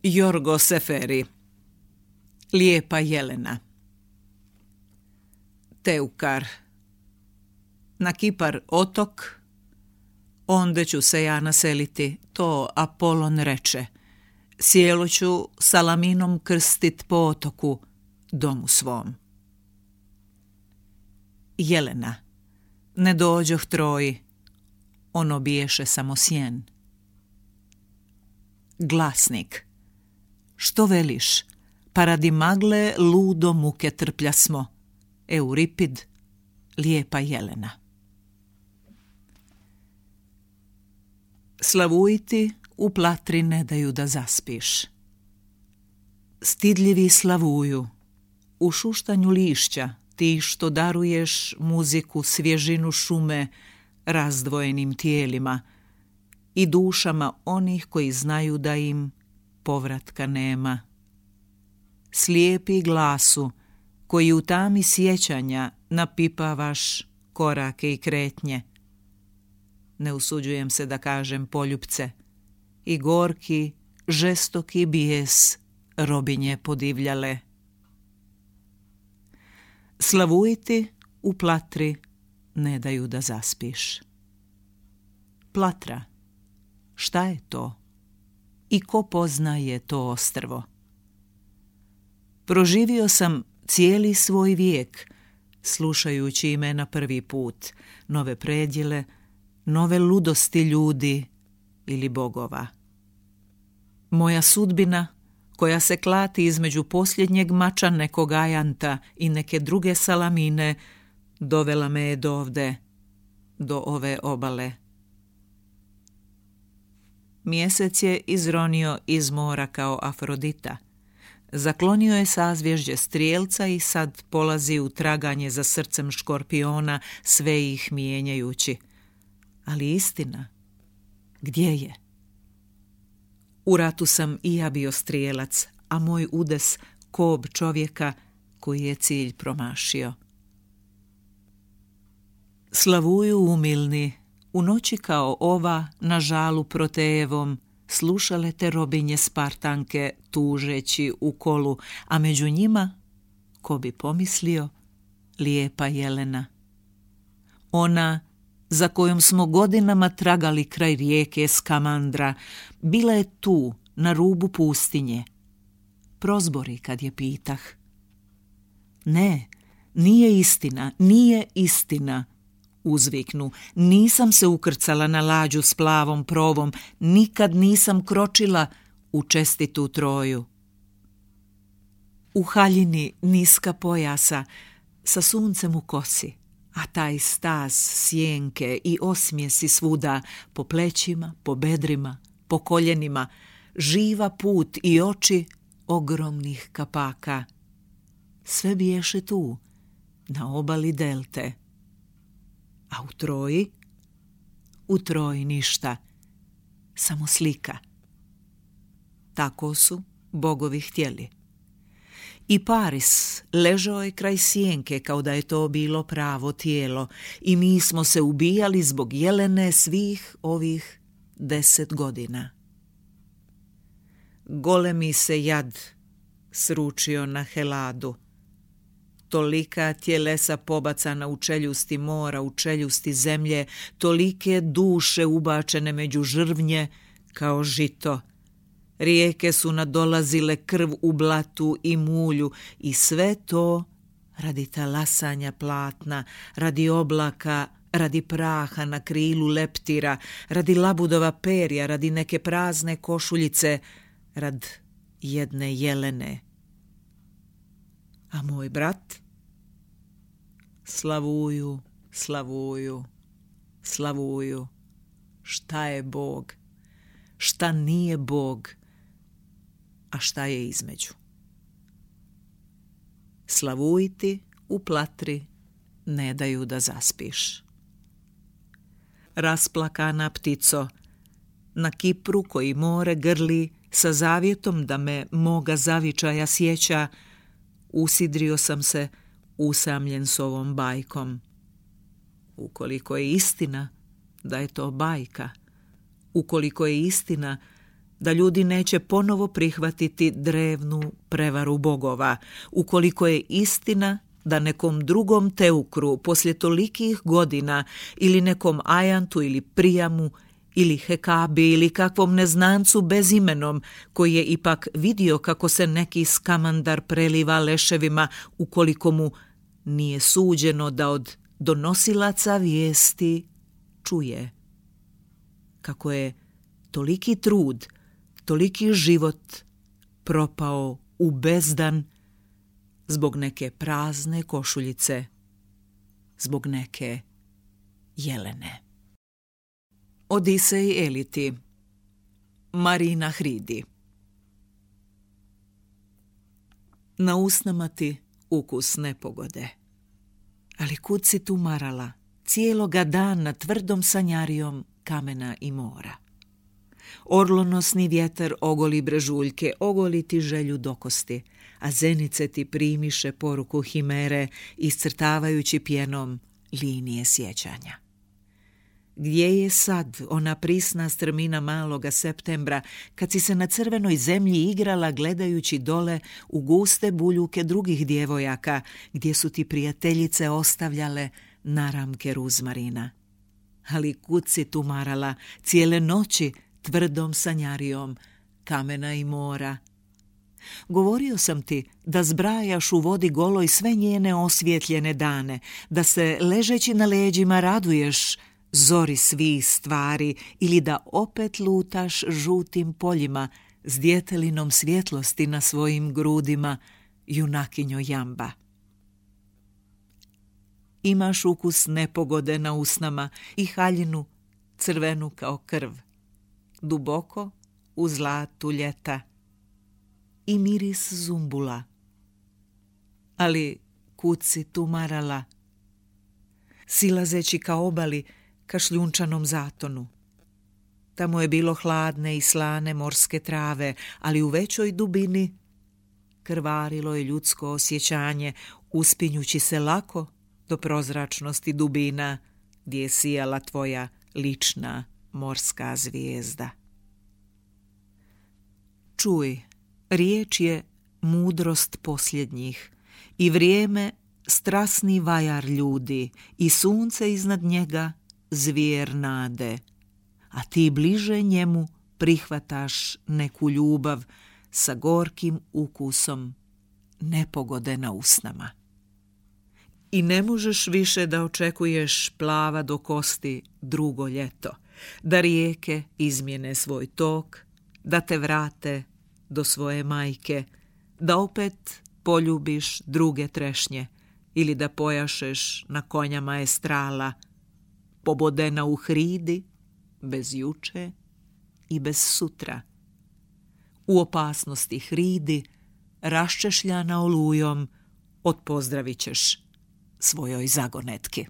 Jorgo Seferi. Lijepa Jelena. Teukar. Na Kipar otok, onde ću se ja naseliti, to Apolon reče. Sjelo ću salaminom krstit po otoku, domu svom. Jelena. Ne dođoh Troji, ono biješe samo sjen. Glasnik. Što veliš, pa radi magle ludo muke trplja smo. Euripid, lijepa Jelena. Slavujti u platri ne daju da zaspiš. Stidljivi slavuju, u šuštanju lišća, ti što daruješ muziku, svježinu šume razdvojenim tijelima i dušama onih koji znaju da im povratka nema. Slijepi glasu koji u tami sjećanja napipavaš korake i kretnje. Ne usuđujem se da kažem poljupce, i gorki, žestoki bijes robinje podivljale. Slavujti u platri ne daju da zaspiš. Platra, šta je to? I ko poznaje to ostrvo? Proživio sam cijeli svoj vijek, slušajući imena prvi put, nove predjele, nove ludosti ljudi ili bogova. Moja sudbina, koja se klati između posljednjeg mača nekog ajanta i neke druge salamine, dovela me je dovde, do ove obale. Mjesec je izronio iz mora kao Afrodita. Zaklonio je sazvježđe strijelca i sad polazi u traganje za srcem škorpiona, sve ih mijenjajući. Ali istina, gdje je? U ratu sam i ja bio strijelac, a moj udes kob čovjeka koji je cilj promašio. Slavuju umilni, u noći kao ova na žalu Protejevom, slušale te robinje Spartanke tužeći u kolu, a među njima, ko bi pomislio, lijepa Jelena. Ona za kojom smo godinama tragali kraj rijeke Skamandra, bila je tu, na rubu pustinje. Prozbori kad je pitah. Ne, nije istina, uzviknu. Nisam se ukrcala na lađu s plavom provom, nikad nisam kročila u čestitu Troju. U haljini niska pojasa, sa suncem u kosi, a taj staz sjenke i osmijesi svuda, po plećima, po bedrima, po koljenima, živa put i oči ogromnih kapaka. Sve biješe tu, na obali delte. A u Troji? U Troji ništa, samo slika. Tako su bogovi htjeli. I Paris ležao je kraj sjenke kao da je to bilo pravo tijelo i mi smo se ubijali zbog Jelene svih ovih 10 godina. Golemi se jad sručio na Heladu. Tolika tjelesa pobacana u čeljusti mora, u čeljusti zemlje, tolike duše ubačene među žrvnje kao žito. Rijeke su nadolazile krv u blatu i mulju i sve to radi talasanja platna, radi oblaka, radi praha na krilu leptira, radi labudova perja, radi neke prazne košuljice, rad jedne Jelene. A moj brat? Slavuju, slavuju, slavuju. Šta je Bog? Šta nije Bog? A šta je između? Slavujti u platri ne daju da zaspiš. Rasplakana ptico, na Kipru koji more grli, sa zavjetom da me moga zavičaja sjeća, usidrio sam se usamljen s ovom bajkom. Ukoliko je istina da je to bajka, ukoliko je istina da ljudi neće ponovo prihvatiti drevnu prevaru bogova, ukoliko je istina da nekom drugom Teukru poslije tolikih godina ili nekom Ajantu ili Prijamu ili Hekabi ili kakvom neznancu bezimenom koji je ipak vidio kako se neki skamandar preliva leševima ukoliko mu nije suđeno da od donosilaca vijesti čuje. Kako je toliki trud, toliki život propao u bezdan zbog neke prazne košuljice, zbog neke jelene. Odisej Eliti, Marina Hridi. Na usnama ti ukus nepogode, ali kud si tu marala cijeloga dana tvrdom sanjarijom kamena i mora. Orlonosni vjetar ogoli brežuljke, ogoli ti želju dokosti, a zenice ti primiše poruku himere, iscrtavajući pjenom linije sjećanja. Gdje je sad ona prisna strmina maloga septembra, kad si se na crvenoj zemlji igrala gledajući dole u guste buljuke drugih djevojaka, gdje su ti prijateljice ostavljale naramke ruzmarina? Ali kud si tu marala cijele noći tvrdom sanjarijom kamena i mora? Govorio sam ti da zbrajaš u vodi goloj sve njene osvjetljene dane, da se ležeći na leđima raduješ zori svih stvari ili da opet lutaš žutim poljima s djetelinom svjetlosti na svojim grudima, junakinjo jamba. Imaš ukus nepogode na usnama i haljinu crvenu kao krv, duboko u zlatu ljeta i miris zumbula. Ali kud si tu marala, silazeći ka obali, ka šljunčanom zatonu? Tamo je bilo hladne i slane morske trave, ali u većoj dubini krvarilo je ljudsko osjećanje, uspinjući se lako do prozračnosti dubina gdje je sijala tvoja lična morska zvijezda. Čuj, riječ je mudrost posljednjih i vrijeme strasni vajar ljudi i sunce iznad njega zvijer nade, a ti bliže njemu prihvataš neku ljubav sa gorkim ukusom nepogode na usnama. I ne možeš više da očekuješ plava do kosti drugo ljeto, da rijeke izmjene svoj tok, da te vrate do svoje majke, da opet poljubiš druge trešnje ili da pojašeš na konja maestrala, pobodena u Hridi, bez juče i bez sutra. U opasnosti Hridi, raščešljana olujom, odpozdravit ćeš svojoj zagonetki.